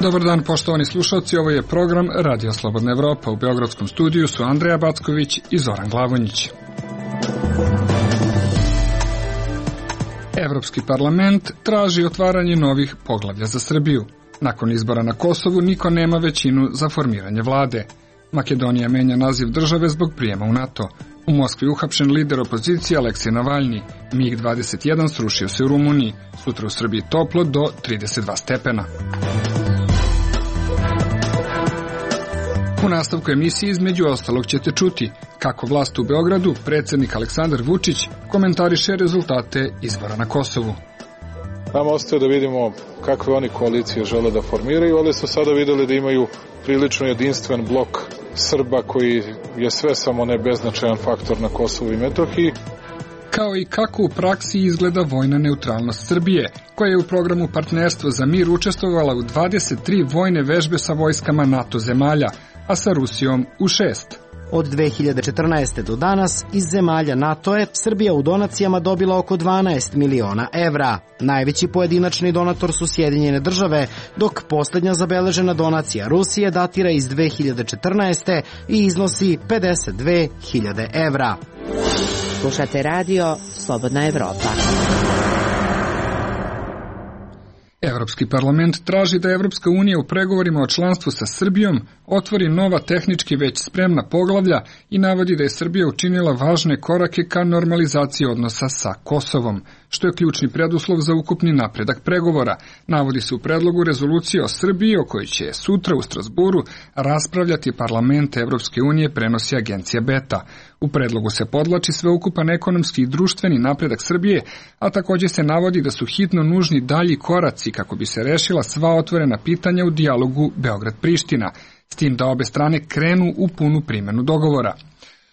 Dobar dan, poštovani slušalci, ovo je program Radio Slobodna Evropa. U beogradskom studiju su Andreja Backović i Zoran Glavonjić. Evropski parlament traži otvaranje novih poglavlja za Srbiju. Nakon izbora na Kosovu niko nema većinu za formiranje vlade. Makedonija menja naziv države zbog prijema u NATO. U Moskvi uhapšen lider opozicije Aleksej Navalni. MiG-21 srušio se u Rumuniji. Sutra u Srbiji toplo do 32 stepena. U nastavku emisije između ostalog ćete čuti kako vlast u Beogradu, predsjednik Aleksandar Vučić, komentariše rezultate izbora na Kosovu. Nam ostaje da vidimo kakve oni koalicije žele da formiraju, ali su sada videli da imaju prilično jedinstven blok Srba koji je sve samo ne beznačajan faktor na Kosovu i Metohiji. Kao i kako u praksi izgleda vojna neutralnost Srbije, koja je u programu Partnerstvo za mir učestvovala u 23 vojne vežbe sa vojskama NATO zemalja, a sa Rusijom u 6. Od 2014. do danas iz zemalja NATO je Srbija u donacijama dobila oko 12 miliona evra. Najveći pojedinačni donator su Sjedinjene države, dok posljednja zabeležena donacija Rusije datira iz 2014. i iznosi 52.000 evra. Slušate radio Slobodna Evropa. Evropski parlament traži da Evropska unija u pregovorima o članstvu sa Srbijom otvori nova tehnički već spremna poglavlja i navodi da je Srbija učinila važne korake ka normalizaciji odnosa sa Kosovom, što je ključni preduslov za ukupni napredak pregovora. Navodi se u predlogu rezolucije o Srbiji, o kojoj će sutra u Strasburu raspravljati parlament Evropske unije, prenosi agencija Beta. U predlogu se podvlači sveukupan ekonomski i društveni napredak Srbije, a također se navodi da su hitno nužni dalji koraci kako bi se rešila sva otvorena pitanja u dijalogu Beograd-Priština, s tim da obe strane krenu u punu primjenu dogovora.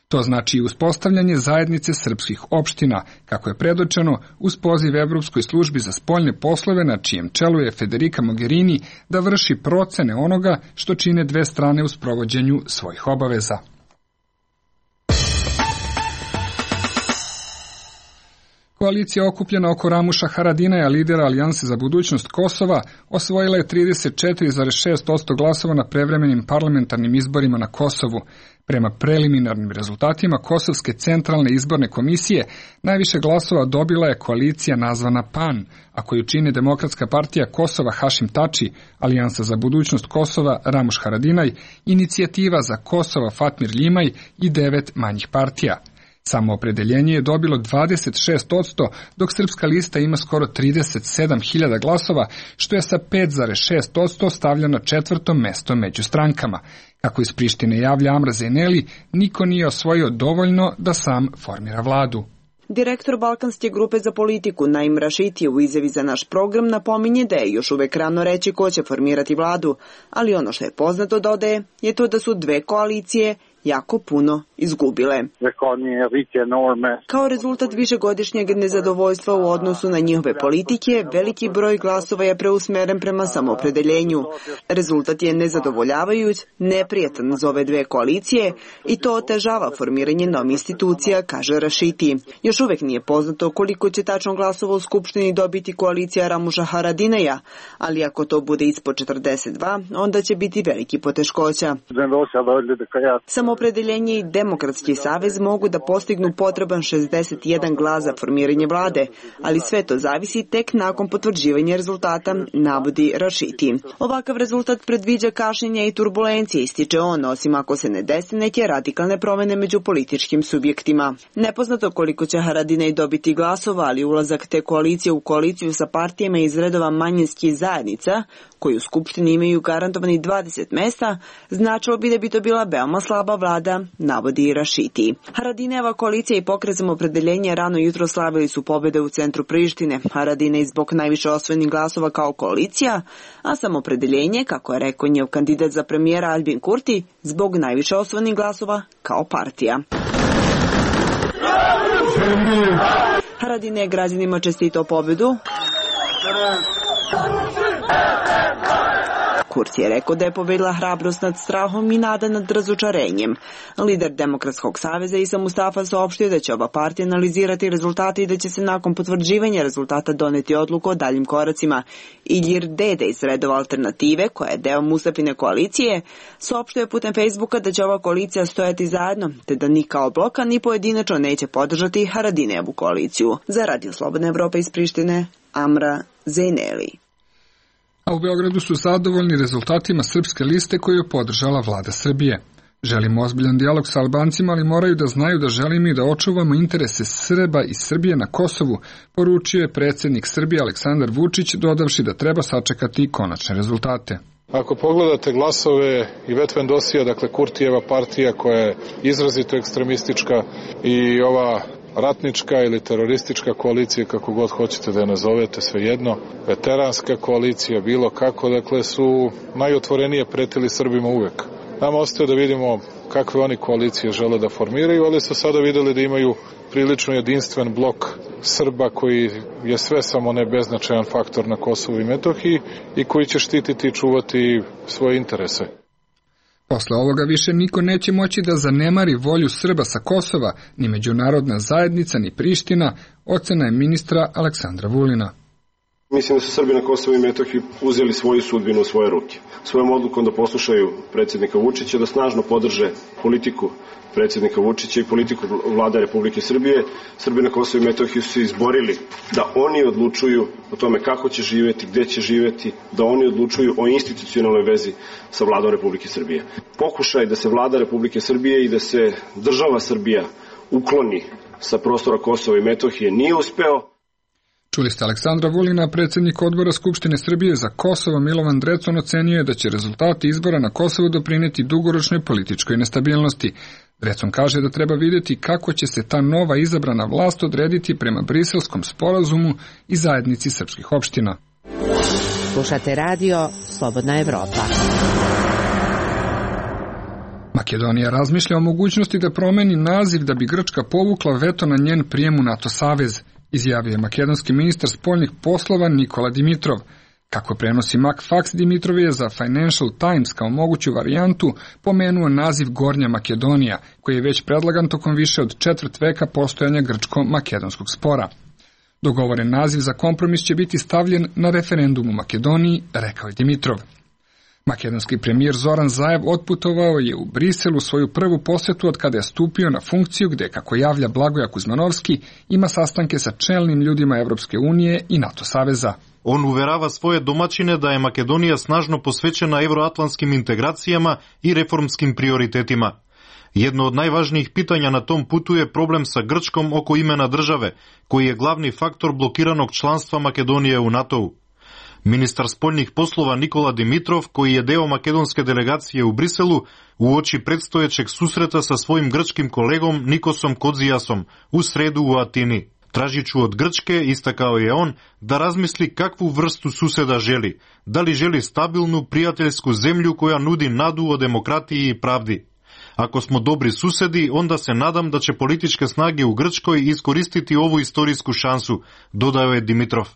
To znači i uspostavljanje zajednice srpskih opština, kako je predočeno uz poziv Evropskoj službi za spoljne poslove, na čijem čelu je Federica Mogherini, da vrši procene onoga što čine dve strane u sprovođenju svojih obaveza. Koalicija okupljena oko Ramuša Haradinaja, lidera Alijanse za budućnost Kosova, osvojila je 34,6% glasova na prevremenim parlamentarnim izborima na Kosovu. Prema preliminarnim rezultatima Kosovske centralne izborne komisije, najviše glasova dobila je koalicija nazvana PAN, a koju čine Demokratska partija Kosova Hašim Tači, Alijansa za budućnost Kosova Ramuš Haradinaj, Inicijativa za Kosova Fatmir Ljimaj i 9 manjih partija. Samoopredeljenje je dobilo 26%, dok Srpska lista ima skoro 37.000 glasova, što je sa 5,6% stavlja na 4. mesto među strankama. Kako iz Prištine javlja Amra Zeneli, niko nije osvojio dovoljno da sam formira vladu. Direktor Balkanske grupe za politiku Naim Rašiti u izjavi za naš program napominje da je još uvek rano reći ko će formirati vladu, ali ono što je poznato, dodaje, je to da su dve koalicije jako puno izgubile. Kao rezultat višegodišnjeg nezadovoljstva u odnosu na njihove politike, veliki broj glasova je preusmeren prema samoopredeljenju. Rezultat je nezadovoljavajuć, neprijatan za ove dve koalicije i to otežava formiranje novih institucija, kaže Rašiti. Još uvek nije poznato koliko će tačno glasova u Skupštini dobiti koalicija Ramuša Haradinaja, ali ako to bude ispod 42, onda će biti veliki poteškoća. Samoopredeljenje i Demokratski savez mogu da postignu potreban 61 glas za formiranje vlade, ali sve to zavisi tek nakon potvrđivanja rezultata, navodi Rašiti. Ovakav rezultat predviđa kašnjenja i turbulencije, ističe on, osim ako se ne dese neke radikalne promene među političkim subjektima. Nepoznato koliko će Haradinaj dobiti glasova, ali ulazak te koalicije u koaliciju sa partijama iz redova manjinskih zajednica, koji u Skupštini imaju garantovani 20 mesta, značilo bi da bi to bila veoma slaba vlada, navodi Rašiti. Haradinajeva koalicija i Pokret Samoopredeljenja rano jutro slavili su pobede u centru Prištine. Haradinaj zbog najviše osvojenih glasova kao koalicija, a Samoopredeljenje, kako je rekao njegov kandidat za premijera Albin Kurti, zbog najviše osvojenih glasova kao partija. Haradinaj je građanima čestitao pobedu, Kurti je rekao da je pobedila hrabrost nad strahom i nada nad razočarenjem. Lider Demokratskog saveza Isa Mustafa saopštio da će oba partija analizirati rezultate i da će se nakon potvrđivanja rezultata doneti odluku o daljim koracima. Ilir Dede iz redova Alternative, koja je deo Mustafine koalicije, saopštio je putem Facebooka da će ova koalicija stojati zajedno, te da ni kao bloka ni pojedinačno neće podržati Haradinejevu koaliciju. Za Radio Slobodna Evropa iz Prištine, Amra Zejneli. A u Beogradu su zadovoljni rezultatima Srpske liste koju je podržala vlada Srbije. Želimo ozbiljan dijalog sa Albancima, ali moraju da znaju da želimo i da očuvamo interese Srba i Srbije na Kosovu, poručio je predsjednik Srbije Aleksandar Vučić, dodavši da treba sačekati konačne rezultate. Ako pogledate glasove i Vetvendosija, dakle Kurtijeva partija koja je izrazito ekstremistička, i ova ratnička ili teroristička koalicija, kako god hoćete da je nazovete, svejedno, veteranska koalicija, bilo kako, dakle su najotvorenije pretili Srbima uvek. Nama ostaje da vidimo kakve oni koalicije žele da formiraju, ali su sada videli da imaju prilično jedinstven blok Srba koji je sve samo ne beznačajan faktor na Kosovu i Metohiji i koji će štititi i čuvati svoje interese. Posle ovoga više niko neće moći da zanemari volju Srba sa Kosova, ni međunarodna zajednica, ni Priština, ocena je ministra Aleksandra Vulina. Mislim da su Srbi na Kosovu i Metohiji uzeli svoju sudbinu u svoje ruke. Svojom odlukom da poslušaju predsjednika Vučića, da snažno podrže politiku predsjednika Vučića i politiku vlade Republike Srbije, Srbi na Kosovu i Metohiji su se izborili da oni odlučuju o tome kako će živjeti, gde će živjeti, da oni odlučuju o institucionalnoj vezi sa vladom Republike Srbije. Pokušaj da se vlada Republike Srbije i da se država Srbija ukloni sa prostora Kosova i Metohije nije uspeo. Čuli ste Aleksandra Vulina, predsjednik odbora Skupštine Srbije za Kosovo Milovan Drecun ocenio je da će rezultati izbora na Kosovu doprineti dugoročnoj političkoj nestabilnosti. Drecun kaže da treba vidjeti kako će se ta nova izabrana vlast odrediti prema Briselskom sporazumu i zajednici srpskih opština. Slušate radio Slobodna Evropa. Makedonija razmišlja o mogućnosti da promeni naziv da bi Grčka povukla veto na njen prijem u NATO savez, izjavio je makedonski ministar spoljnih poslova Nikola Dimitrov. Kako prenosi Macfax, Dimitrov je za Financial Times kao moguću varijantu pomenuo naziv Gornja Makedonija, koji je već predlagan tokom više od četvrt veka postojanja grčko-makedonskog spora. Dogovoren naziv za kompromis će biti stavljen na referendum u Makedoniji, rekao je Dimitrov. Makedonski premijer Zoran Zaev otputovao je u Briselu svoju prvu posjetu od kada je stupio na funkciju gde, kako javlja Blagoja Kuzmanovski, ima sastanke sa čelnim ljudima Evropske unije i NATO saveza. On uverava svoje domaćine da je Makedonija snažno posvećena evroatlantskim integracijama i reformskim prioritetima. Jedno od najvažnijih pitanja na tom putu je problem sa Grčkom oko imena države, koji je glavni faktor blokiranog članstva Makedonije u NATO-u. Ministar spoljnih poslova Nikola Dimitrov, koji je deo makedonske delegacije u Briselu, uoči predstojećeg susreta sa svojim grčkim kolegom Nikosom Kodzijasom u sredu u Atini. Tražiću od Grčke, istakao je on, da razmisli kakvu vrstu suseda želi. Da li želi stabilnu, prijateljsku zemlju koja nudi nadu o demokratiji i pravdi. Ako smo dobri susedi, onda se nadam da će političke snage u Grčkoj iskoristiti ovu istorijsku šansu, dodao je Dimitrov.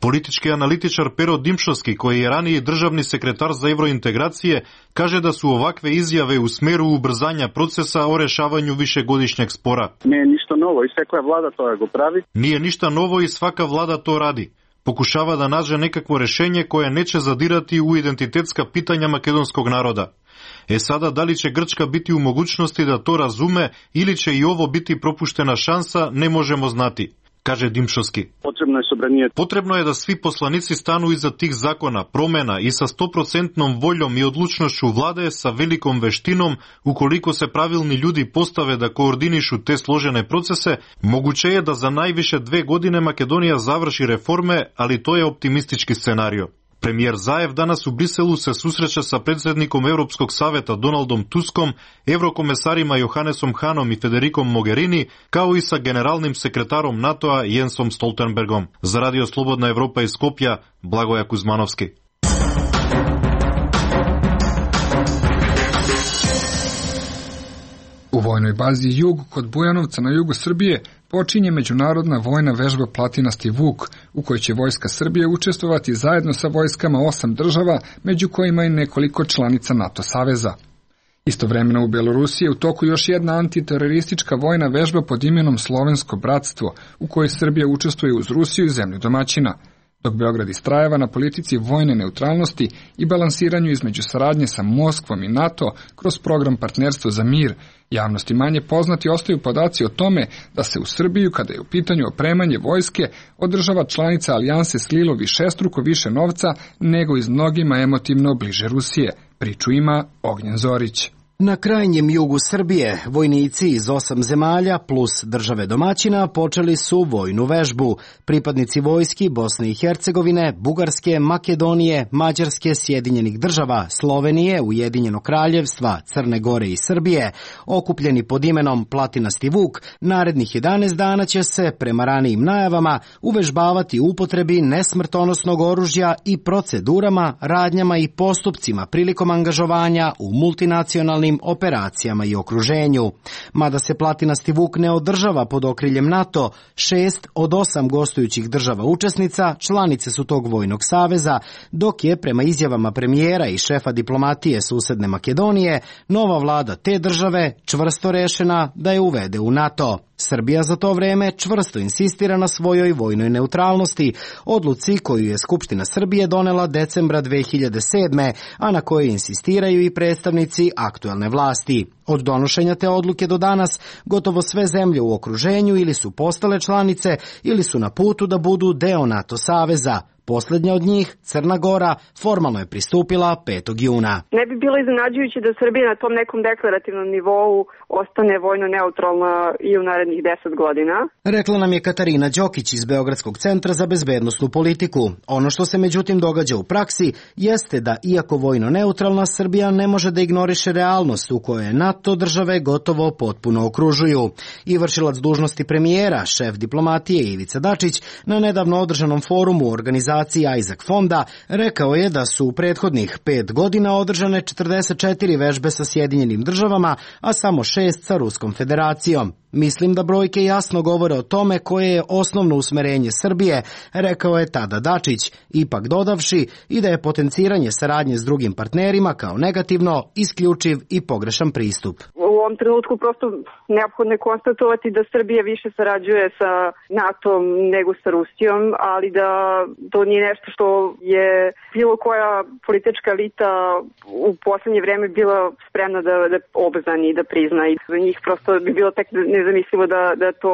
Politički analitičar Pero Dimšovski, koji je raniji državni sekretar za evrointegracije, kaže da su ovakve izjave u smeru ubrzanja procesa o rešavanju višegodišnjeg spora. Nije ništa novo i svaka vlada to go pravi. Nije ništa novo i svaka vlada to radi. Pokušava da nađe nekakvo rešenje koje neće zadirati u identitetska pitanja makedonskog naroda. Sada, da li će Grčka biti u mogućnosti da to razume ili će i ovo biti propuštena šansa, ne možemo znati, kaže Dimšovski. Potrebno je da svi poslanici stanu iza tih zakona, promena i sa 100% voljom i odlučnošću vlade sa velikom veštinom, ukoliko se pravilni ljudi postave da koordinišu te složene procese, moguće je da za najviše 2 godine Makedonija završi reforme, ali to je optimistički scenario. Premijer Zaev danas u Briselu se susreće sa predsjednikom Europskog saveta Donaldom Tuskom, evrokomesarima Johannesom Hanom i Federikom Mogherini, kao i sa generalnim sekretarom NATO-a Jensom Stoltenbergom. Za Radio Slobodna Evropa iz Skopja, Blagoja Kuzmanovski. U vojnoj bazi Jug kod Bujanovca na jugu Srbije počinje međunarodna vojna vežba Platinasti Vuk, u kojoj će Vojska Srbije učestvovati zajedno sa vojskama 8 država, među kojima i nekoliko članica NATO saveza. Istovremeno u Belorusiji je u toku još jedna antiteroristička vojna vežba pod imenom Slovensko bratstvo, u kojoj Srbija učestvuje uz Rusiju i zemlju domaćina, dok Beograd istrajeva na politici vojne neutralnosti i balansiranju između saradnje sa Moskvom i NATO kroz program Partnerstvo za mir. Javnosti manje poznati ostaju podaci o tome da se u Srbiju, kada je u pitanju opremanje vojske, od država članica alijanse slilo višestruko više novca nego iz mnogima emotivno bliže Rusije. Priču ima Ognjen Zorić. Na krajnjem jugu Srbije vojnici iz 8 zemalja plus države domaćina počeli su vojnu vežbu. Pripadnici vojski Bosne i Hercegovine, Bugarske, Makedonije, Mađarske, Sjedinjenih država, Slovenije, Ujedinjenog kraljevstva, Crne Gore i Srbije, okupljeni pod imenom Platinasti Vuk, narednih 11 dana će se, prema ranijim najavama, uvežbavati u upotrebi nesmrtonosnog oružja i procedurama, radnjama i postupcima prilikom angažovanja u multinacionalnim operacijama i okruženju. Mada se Platinasti Vuk ne održava pod okriljem NATO, 6 od 8 gostujućih država učesnica članice su tog vojnog saveza, dok je, prema izjavama premijera i šefa diplomatije susedne Makedonije, nova vlada te države čvrsto rešena da je uvede u NATO. Srbija za to vreme čvrsto insistira na svojoj vojnoj neutralnosti, odluci koju je Skupština Srbije donela decembra 2007. a na kojoj insistiraju i predstavnici aktuelne vlasti. Od donošenja te odluke do danas gotovo sve zemlje u okruženju ili su postale članice ili su na putu da budu deo NATO saveza. Poslednja od njih, Crna Gora, formalno je pristupila 5. juna. Ne bi bilo iznenađujuće da Srbija na tom nekom deklarativnom nivou ostane vojno neutralna i u narednih 10 godina. Rekla nam je Katarina Đokić iz Beogradskog centra za bezbednosnu politiku. Ono što se međutim događa u praksi jeste da, iako vojno neutralna, Srbija ne može da ignoriše realnost u kojoj NATO države gotovo potpuno okružuju. I vršilac dužnosti premijera, šef diplomatije Ivica Dačić, na nedavno održanom forumu organizacije Isaac fonda rekao je da su u prethodnih 5 godina održane 44 vežbe sa Sjedinjenim državama, a samo 6 sa Ruskom federacijom. Mislim da brojke jasno govore o tome koje je osnovno usmerenje Srbije, rekao je tada Dačić, ipak dodavši i da je potenciranje saradnje s drugim partnerima kao negativno, isključiv i pogrešan pristup. U ovom trenutku prosto neophodno je konstatovati da Srbija više sarađuje sa NATO-om nego sa Rusijom, ali da to nije nešto što je bilo koja politička elita u poslednje vreme bila spremna da obznani i da prizna, i za njih prosto bi bilo tek nezamislivo da to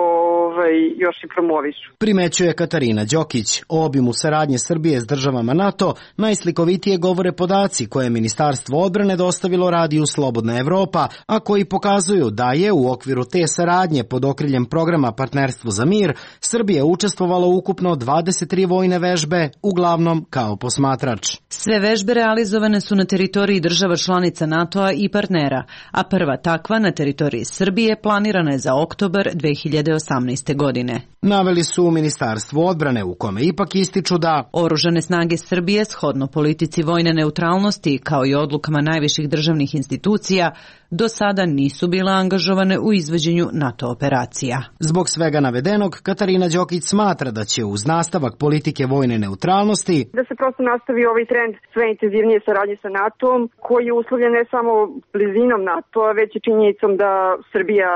još i promovišu. Primećuje Katarina Đokić. O obimu saradnje Srbije s državama NATO najslikovitije govore podaci koje je Ministarstvo odbrane dostavilo radiju Slobodna Evropa, a koji pokazuju da je u okviru te saradnje pod okriljem programa Partnerstvo za mir Srbija učestvovala ukupno 23 vojne vežbe, uglavnom kao posmatrač. Sve vežbe realizovane su na teritoriji država članica NATO-a i partnera, a prva takva na teritoriji Srbije planirana je za oktobar 2018. godine. Naveli su u Ministarstvu odbrane, u kome ipak ističu da Oružane snage Srbije, shodno politici vojne neutralnosti kao i odlukama najviših državnih institucija, do sada nisu bile angažovane u izvođenju NATO operacija. Zbog svega navedenog, Katarina Đokić smatra da će uz nastavak politike vojne neutralnosti da se prosto nastavi ovaj trend sve intenzivnije saradnje sa NATO-om, koji je uslovljen ne samo blizinom NATO-a, već i činjenicom da Srbija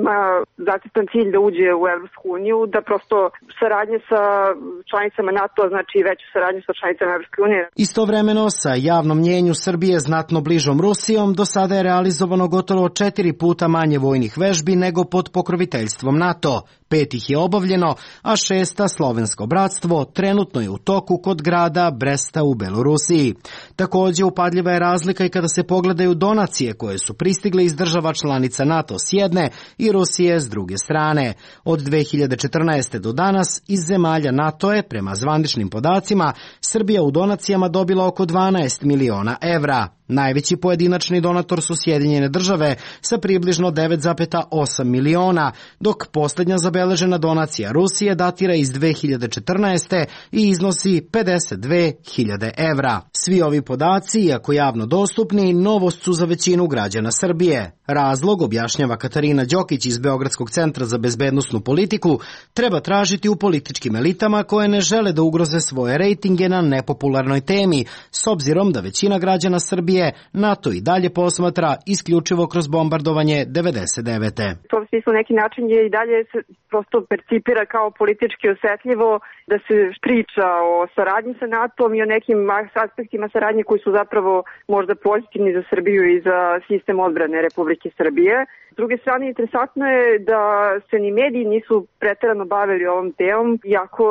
ima zacrtan cilj da uđe u Evropsku uniju, da prosto saradnje sa članicama NATO znači veću saradnju sa članicama Evropske unije. Istovremeno, sa javnom mnjenju Srbije znatno bližom Rusijom, do sada je realizovano gotovo 4 puta manje vojnih vežbi nego pod pokroviteljstvom NATO. 5 ih je obavljeno, a 6. Slovensko bratstvo trenutno je u toku kod grada Bresta u Belorusiji. Takođe, upadljiva je razlika i kada se pogledaju donacije koje su pristigle iz država članica NATO s jedne i Rusije s druge strane. Od 2014. do danas iz zemalja NATO je, prema zvaničnim podacima, Srbija u donacijama dobila oko 12 miliona evra. Najveći pojedinačni donator su Sjedinjene države sa približno 9,8 miliona, dok posljednja zabeležena donacija Rusije datira iz 2014. i iznosi 52.000 evra. Svi ovi podaci, iako javno dostupni, novost su za većinu građana Srbije. Razlog, objašnjava Katarina Đokić iz Beogradskog centra za bezbednosnu politiku, treba tražiti u političkim elitama koje ne žele da ugroze svoje rejtinge na nepopularnoj temi, s obzirom da većina građana Srbije NATO i dalje posmatra isključivo kroz bombardovanje 99. To u smislu neki način je i dalje se prosto percipira kao politički osetljivo da se priča o saradnji sa NATO-om i o nekim aspektima saradnje koji su zapravo možda pozitivni za Srbiju i za sistem odbrane Republike Srbije. S druge strane, interesantno je da se ni mediji nisu preterano bavili ovom temom, iako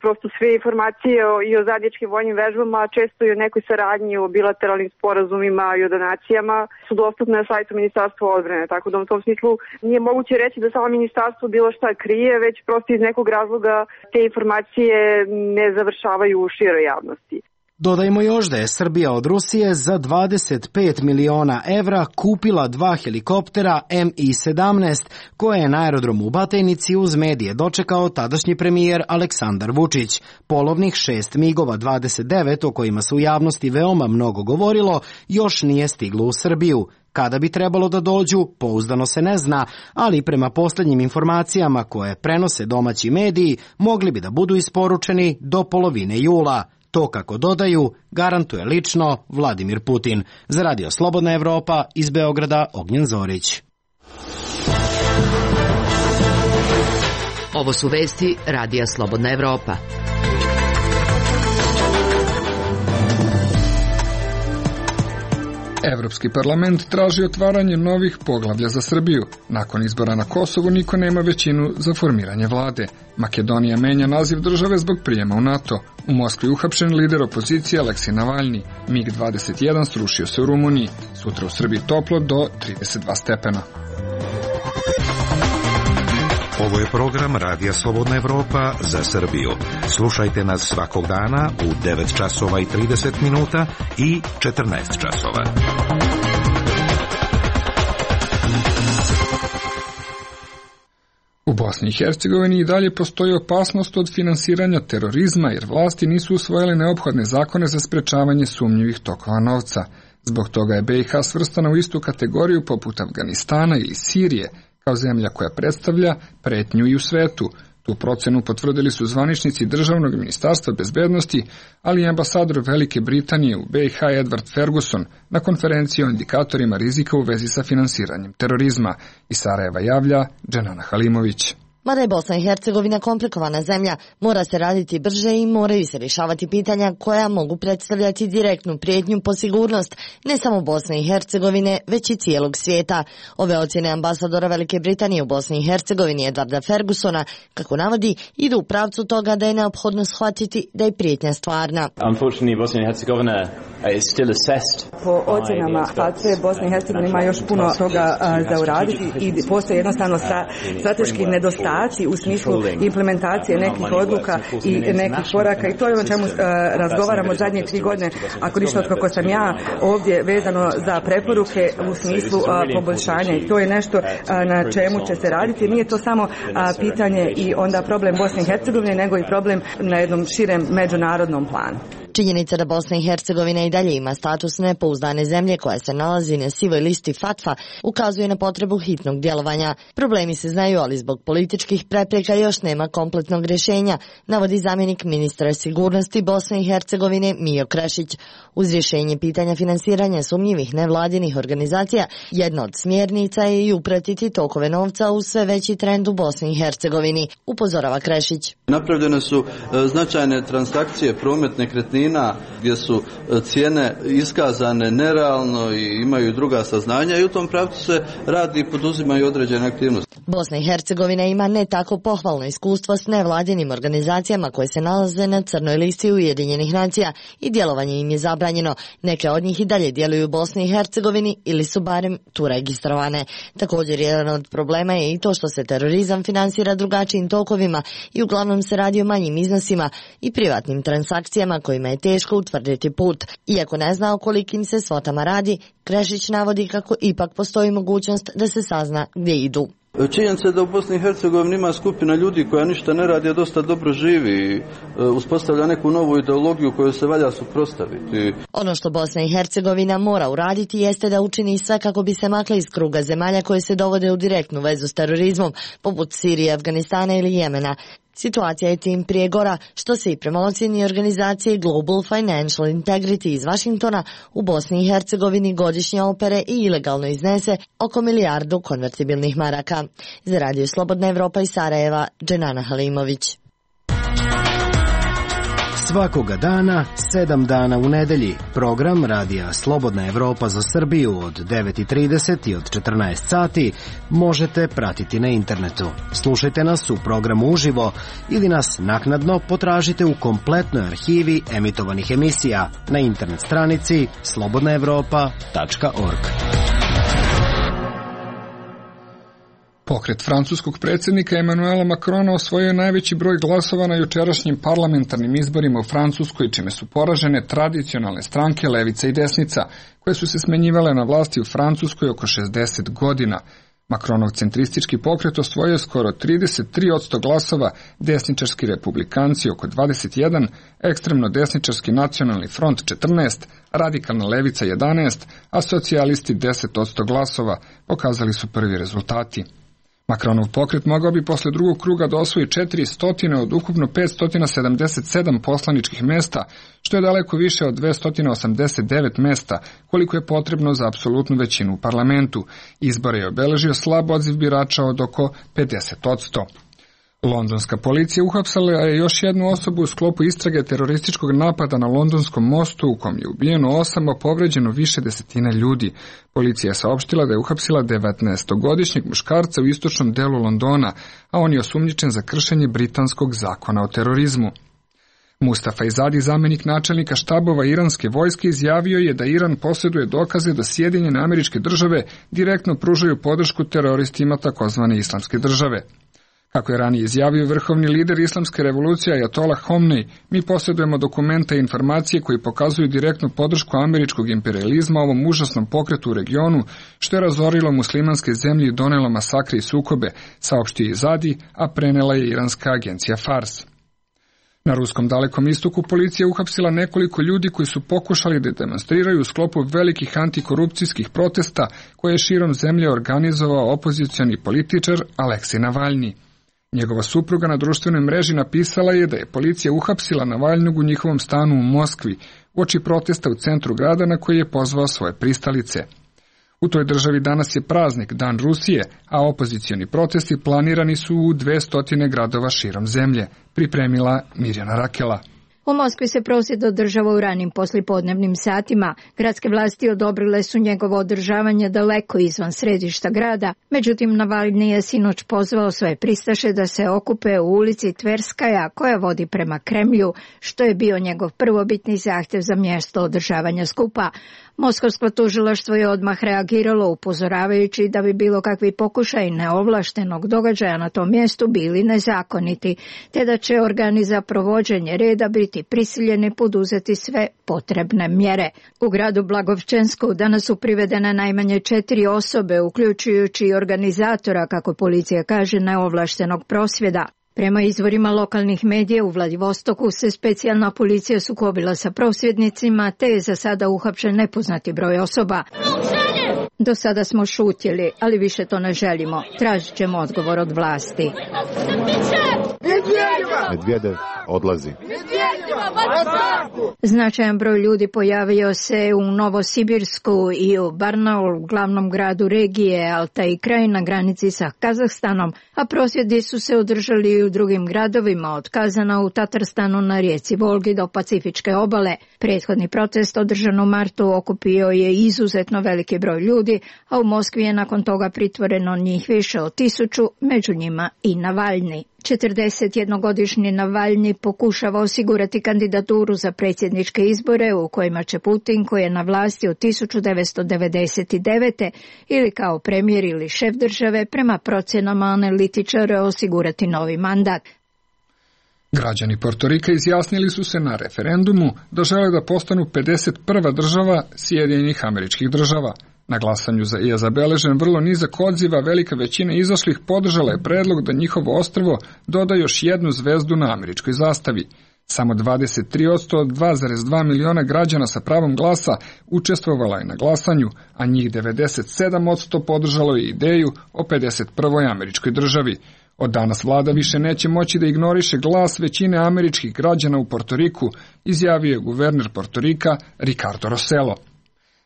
prosto sve informacije i o zajedničkim vojnim vežbama, često i o nekoj saradnji, o bilateralnim sporazumima i o donacijama su dostupne na sajtu Ministarstva odbrane. Tako da u tom smislu nije moguće reći da samo ministarstvo bilo šta krije, već prosto iz nekog razloga te informacije ne završavaju u široj javnosti. Dodajmo još da je Srbija od Rusije za 25 miliona evra kupila 2 helikoptera Mi-17, koje je na aerodromu u Batajnici uz medije dočekao tadašnji premijer Aleksandar Vučić. Polovnih 6 MiG-ova 29, o kojima se u javnosti veoma mnogo govorilo, još nije stiglo u Srbiju. Kada bi trebalo da dođu, pouzdano se ne zna, ali prema posljednjim informacijama koje prenose domaći mediji, mogli bi da budu isporučeni do polovine jula. To, kako dodaju, garantuje lično Vladimir Putin. Za Radio Slobodna Evropa, iz Beograda, Ognjen Zorić. Ovo su vesti Radija Slobodna Evropa. Evropski parlament traži otvaranje novih poglavlja za Srbiju. Nakon izbora na Kosovu niko nema većinu za formiranje vlade. Makedonija menja naziv države zbog prijema u NATO. U Moskvi uhapšen lider opozicije Aleksej Navalni. MiG-21 srušio se u Rumuniji. Sutra u Srbiji toplo do 32 stepena. Ovo je program Radija Slobodna Evropa za Srbiju. Slušajte nas svakog dana u 9 časova i 30 minuta i 14 časova. U Bosni i Hercegovini i dalje postoji opasnost od finansiranja terorizma jer vlasti nisu usvojile neophodne zakone za sprečavanje sumnjivih tokova novca. Zbog toga je BiH svrstana u istu kategoriju poput Afganistana ili Sirije, kao zemlja koja predstavlja pretnju i u svetu. Tu procenu potvrdili su zvaničnici Državnog ministarstva bezbednosti, ali i ambasador Velike Britanije u BiH Edward Ferguson na konferenciji o indikatorima rizika u vezi sa finansiranjem terorizma. Iz Sarajeva javlja Dženana Halimović. Mada je Bosna i Hercegovina komplikovana zemlja, mora se raditi brže i moraju se rješavati pitanja koja mogu predstavljati direktnu prijetnju po sigurnost ne samo Bosne i Hercegovine, već i cijelog svijeta. Ove ocjene ambasadora Velike Britanije u Bosni i Hercegovini Edwarda Fergusona, kako navodi, idu u pravcu toga da je neophodno shvatiti da je prijetnja stvarna. Po ocjenama FATF, Bosna i Hercegovina ima još puno toga za uraditi i postoje jednostavno strateški nedostaci u smislu implementacije nekih odluka i nekih koraka i to je ono čemu razgovaramo zadnje 3 godine, ako ništa od kako sam ja ovdje vezano za preporuke u smislu poboljšanja i to je nešto na čemu će se raditi. Nije to samo pitanje i onda problem Bosne i Hercegovine, nego i problem na jednom širem međunarodnom planu. Činjenica da Bosna i Hercegovina i dalje ima status nepouzdane zemlje koja se nalazi na sivoj listi FATF-a ukazuje na potrebu hitnog djelovanja. Problemi se znaju, ali zbog političkih prepreka još nema kompletnog rješenja, navodi zamjenik ministra sigurnosti Bosne i Hercegovine Mijo Krešić. Uz rješenje pitanja finansiranja sumnjivih nevladinih organizacija, jedna od smjernica je i upratiti tokove novca u sve veći trend u Bosni i Hercegovini, upozorava Krešić. Napravljene su značajne transakcije, promet nekretnina, gdje su cijene iskazane nerealno i imaju druga saznanja i u tom pravcu se radi i poduzimaju određene aktivnosti. Bosna i Hercegovina ima ne tako pohvalno iskustvo s nevladinim organizacijama koje se nalaze na crnoj listi Ujedinjenih nacija i djelovanje im je zabranjeno. Neke od njih i dalje djeluju u Bosni i Hercegovini ili su barem tu registrovane. Također jedan od problema je i to što se terorizam finansira drugačijim tokovima i uglavnom se radi o manjim iznosima i privatnim transakcijama kojima je je teško utvrditi put. Iako ne zna o kolikim se svotama radi, Krešić navodi kako ipak postoji mogućnost da se sazna gdje idu. Činjenica je da u Bosni i Hercegovini ima skupina ljudi koja ništa ne radi, a dosta dobro živi i uspostavlja neku novu ideologiju koju se valja suprotstaviti. Ono što Bosna i Hercegovina mora uraditi jeste da učini sve kako bi se makla iz kruga zemalja koje se dovode u direktnu vezu s terorizmom, poput Sirije, Afganistana ili Jemena. Situacija je tim prije gora, što se i prema ocjeni organizacije Global Financial Integrity iz Vašingtona u Bosni i Hercegovini godišnje opere i ilegalno iznese oko 1 milijardu konvertibilnih maraka. Za Radio Slobodna Evropa iz Sarajeva, Dženana Halimović. Svakoga dana, 7 dana u nedelji, program Radija Slobodna Evropa za Srbiju od 9:30 i od 14 sati možete pratiti na internetu. Slušajte nas u programu uživo ili nas naknadno potražite u kompletnoj arhivi emitovanih emisija na internet stranici slobodnaevropa.org. Pokret francuskog predsjednika Emmanuela Macrona osvojio najveći broj glasova na jučerašnjim parlamentarnim izborima u Francuskoj, čime su poražene tradicionalne stranke levica i desnica, koje su se smenjivale na vlasti u Francuskoj oko 60 godina. Macronov centristički pokret osvojio skoro 33% glasova, desničarski republikanci oko 21%, ekstremno desničarski nacionalni front 14%, radikalna levica 11%, a socijalisti 10% glasova, pokazali su prvi rezultati. Macronov pokret mogao bi posle drugog kruga da osvoji 400 od ukupno 577 poslaničkih mesta, što je daleko više od 289 mesta, koliko je potrebno za apsolutnu većinu u parlamentu. Izbore je obeležio slab odziv birača od oko 50%. Londonska policija uhapsila je još jednu osobu u sklopu istrage terorističkog napada na Londonskom mostu, u kom je ubijeno 8, a povređeno više desetina ljudi. Policija je saopštila da je uhapsila 19-godišnjeg muškarca u istočnom delu Londona, a on je osumnjičen za kršenje britanskog zakona o terorizmu. Mustafa Izadi, zamjenik načelnika štabova iranske vojske, izjavio je da Iran posjeduje dokaze da Sjedinjene Američke Države direktno pružaju podršku teroristima takozvane islamske države. Kako je ranije izjavio vrhovni lider islamske revolucije Ajatolah Homnej, mi posjedujemo dokumenta i informacije koji pokazuju direktnu podršku američkog imperializma ovom užasnom pokretu u regionu, što je razorilo muslimanske zemlje i donelo masakre i sukobe, saopštio Izadi, a prenela je iranska agencija Fars. Na Ruskom Dalekom istoku policija uhapsila nekoliko ljudi koji su pokušali da demonstriraju u sklopu velikih antikorupcijskih protesta koje je širom zemlje organizovao opozicioni političar Aleksej Navalni. Njegova supruga na društvenoj mreži napisala je da je policija uhapsila Navalnog u njihovom stanu u Moskvi, uoči protesta u centru grada na koji je pozvao svoje pristalice. U toj državi danas je praznik, Dan Rusije, a opozicioni protesti planirani su u 200 gradova širom zemlje, pripremila Mirjana Rakela. U Moskvi se prosvjed održava u ranim poslijepodnevnim satima. Gradske vlasti odobrile su njegovo održavanje daleko izvan središta grada, međutim Navalni je sinoć pozvao svoje pristaše da se okupe u ulici Tverskaja koja vodi prema Kremlju, što je bio njegov prvobitni zahtjev za mjesto održavanja skupa. Moskovsko tužilaštvo je odmah reagiralo upozoravajući da bi bilo kakvi pokušaj neovlaštenog događaja na tom mjestu bili nezakoniti, te da će organi za provođenje reda biti prisiljeni poduzeti sve potrebne mjere. U gradu Blagovčensku danas su privedene najmanje 4 osobe, uključujući i organizatora, kako policija kaže, neovlaštenog prosvjeda. Prema izvorima lokalnih medija u Vladivostoku se specijalna policija sukobila sa prosvjednicima, te je za sada uhapšen nepoznati broj osoba. Do sada smo šutjeli, ali više to ne želimo. Tražit ćemo odgovor od vlasti. Medvedev odlazi. Značajan broj ljudi pojavio se u Novosibirsku i u Barnaul, glavnom gradu regije Altaj kraj na granici sa Kazahstanom, a prosvjedi su se održali i u drugim gradovima, od Kazana u Tatarstanu na rijeci Volgi do Pacifičke obale. Prethodni protest održan u martu okupio je izuzetno veliki broj ljudi, a u Moskvi je nakon toga pritvoreno njih više od 1000, među njima i Navalni. 41-godišnji Navalni pokušava osigurati kandidaturu za predsjedničke izbore u kojima će Putin, koji je na vlasti od 1999. ili kao premijer ili šef države, prema procjenama analitičara osigurati novi mandat. Građani Portorika izjasnili su se na referendumu da žele da postanu 51. država Sjedinjenih Američkih Država. Na glasanju je zabeležen vrlo nizak odziva, velika većina izašlih podržala je predlog da njihovo ostrvo doda još jednu zvezdu na američkoj zastavi. Samo 23% od 2,2 miliona građana sa pravom glasa učestvovala je na glasanju, a njih 97% podržalo je ideju o 51. američkoj državi. Od danas vlada više neće moći da ignoriše glas većine američkih građana u Portoriku, izjavio je guverner Portorika Ricardo Rossello.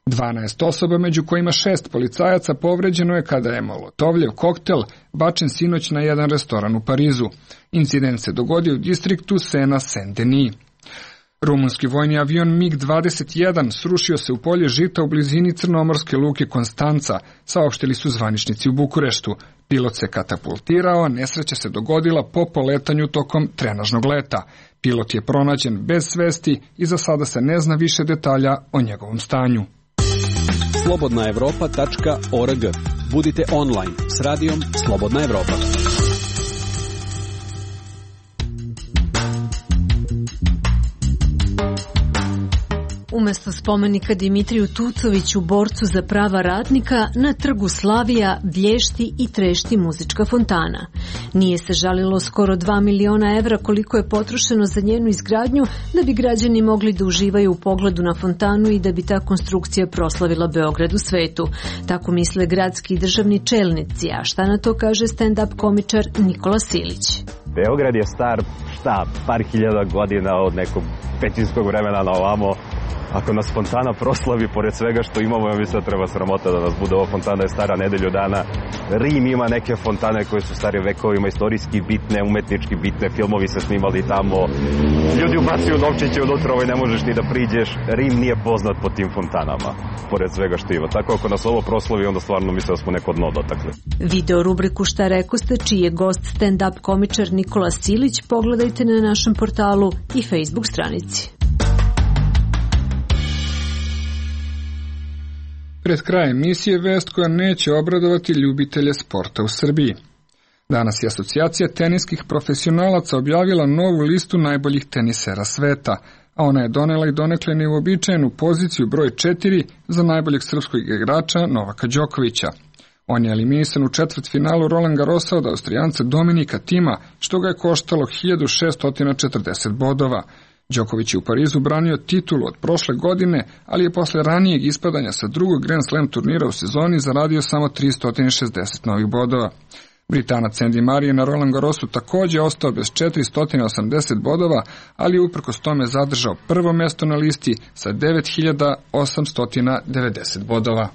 12 osoba, među kojima 6 policajaca, povređeno je kada je molotovljev koktel bačen sinoć na jedan restoran u Parizu. Incident se dogodio u distriktu Sena-Saint-Denis. Rumunski vojni avion MiG-21 srušio se u polje žita u blizini crnomorske luke Konstanca, saopštili su zvaničnici u Bukureštu. Pilot se katapultirao, a nesreća se dogodila po poletanju tokom trenažnog leta. Pilot je pronađen bez svesti i za sada se ne zna više detalja o njegovom stanju. slobodnaevropa.org. Budite online s radijom Slobodna Evropa. Umesto spomenika Dimitriju Tucoviću, borcu za prava radnika, na trgu Slavija vlješti i trešti muzička fontana. Nije se žalilo skoro 2 miliona evra koliko je potrošeno za njenu izgradnju da bi građani mogli da uživaju u pogledu na fontanu i da bi ta konstrukcija proslavila Beograd u svetu. Tako misle gradski i državni čelnici, a šta na to kaže stand-up komičar Nikola Silić. Beograd je star, par hiljada godina od nekog pećinskog vremena na ovamo. Ako nas fontana proslavi, pored svega što imamo, ja mislim da treba sramota da nas bude. Ova fontana je stara nedelju dana. Rim ima neke fontane koje su stare vekovima, istorijski bitne, umetnički bitne, filmovi se snimali tamo. Ljudi ubacuju novčiće unutra, ne možeš ni da priđeš. Rim nije poznat po tim fontanama, pored svega što ima. Tako ako nas ovo proslavi, onda stvarno mislim da smo neko dno dotakli. Video rubriku Šta rekoste, čiji je gost stand-up komičar Nikola Silić, pogledajte na našem portalu i Facebook stranici. Pred krajem emisije vest koja neće obradovati ljubitelje sporta u Srbiji. Danas je Asocijacija teniskih profesionalaca objavila novu listu najboljih tenisera sveta, a ona je donela i donekle neuobičajenu poziciju broj 4 za najboljeg srpskog igrača Novaka Đokovića. On je eliminisan u četvrtfinalu Roland Garrosa od Austrijanca Dominika Tima, što ga je koštalo 1640 bodova. Đoković je u Parizu branio titulu od prošle godine, ali je posle ranijeg ispadanja sa drugog Grand Slam turnira u sezoni zaradio samo 360 novih bodova. Britanac Andy Murray je na Roland Garrosu takođe ostao bez 480 bodova, ali je uprkos tome zadržao prvo mesto na listi sa 9890 bodova.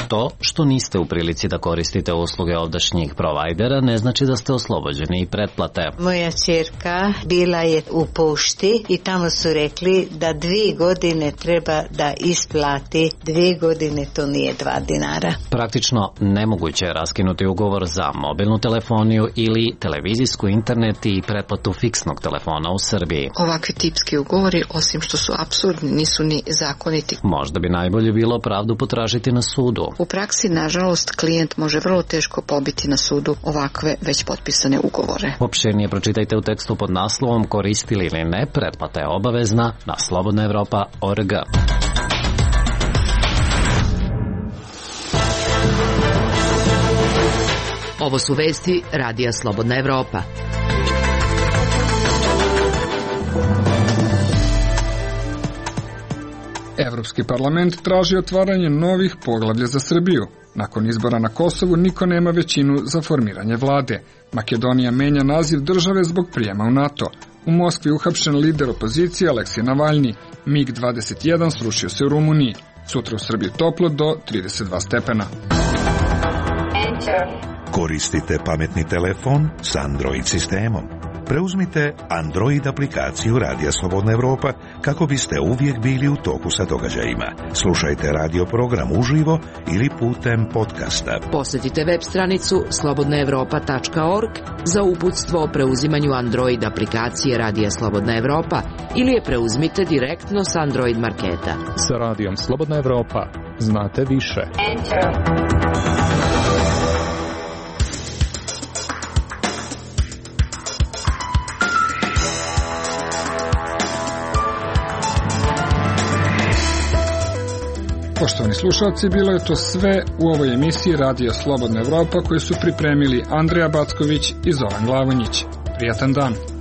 To što niste u prilici da koristite usluge ovdašnjih provajdera ne znači da ste oslobođeni i pretplate. Moja ćerka bila je u pošti i tamo su rekli da 2 godine treba da isplati. 2 godine to nije 2 dinara. Praktično nemoguće je raskinuti ugovor za mobilnu telefoniju ili televizijsku, internet i pretplatu fiksnog telefona u Srbiji. Ovakvi tipski ugovori, osim što su apsurdni, nisu ni zakoniti. Možda bi najbolje bilo pravdu potražiti na sudu. U praksi, nažalost, klijent može vrlo teško pobiti na sudu ovakve već potpisane ugovore. Opširnije pročitajte u tekstu pod naslovom Koristili ili ne, pretplata je obavezna na slobodnaevropa.org. Ovo su vesti Radija Slobodna Evropa. Evropski parlament traži otvaranje novih poglavlja za Srbiju. Nakon izbora na Kosovu niko nema većinu za formiranje vlade. Makedonija menja naziv države zbog prijema u NATO. U Moskvi uhapšen lider opozicije Aleksej Navalni. MiG-21 srušio se u Rumuniji. Sutra u Srbiji toplo do 32 stepena. Koristite pametni telefon s Android sistemom. Preuzmite Android aplikaciju Radija Slobodna Evropa kako biste uvijek bili u toku sa događajima. Slušajte radio program uživo ili putem podcasta. Posjetite web stranicu slobodnaevropa.org za uputstvo o preuzimanju Android aplikacije Radija Slobodna Evropa ili je preuzmite direktno s Android marketa. Sa Radijom Slobodna Evropa znate više. Poštovani slušalci, bilo je to sve u ovoj emisiji Radija Slobodna Evropa koju su pripremili Andreja Backović i Zoran Glavonjić. Prijatan dan!